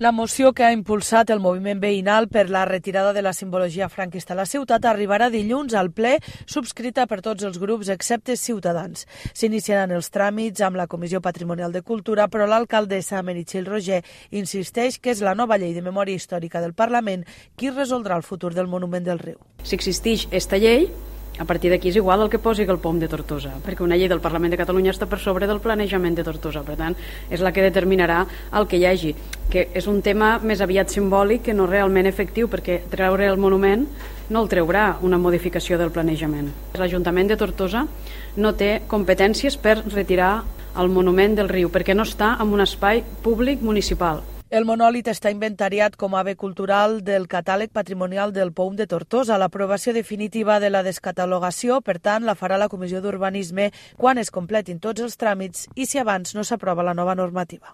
La moció que ha impulsat el moviment veïnal per la retirada de la simbologia franquista a la ciutat arribarà dilluns al ple, subscrita per tots els grups excepte Ciutadans. S'iniciaran els tràmits amb la Comissió Patrimonial de Cultura, però l'alcaldessa Meritxell Roger insisteix que és la nova llei de memòria històrica del Parlament qui resoldrà el futur del monument del riu. Si existeix esta llei, a partir d'aquí és igual el que posi el POM de Tortosa, perquè una llei del Parlament de Catalunya està per sobre del planejament de Tortosa, per tant, és la que determinarà el que hi hagi, que és un tema més aviat simbòlic que no realment efectiu, perquè treure el monument no el treurà una modificació del planejament. L'Ajuntament de Tortosa no té competències per retirar el monument del riu, perquè no està en un espai públic municipal. El monòlit està inventariat com a bé cultural del catàleg patrimonial del POM de Tortosa. L'aprovació definitiva de la descatalogació, per tant, la farà la Comissió d'Urbanisme quan es completin tots els tràmits i si abans no s'aprova la nova normativa.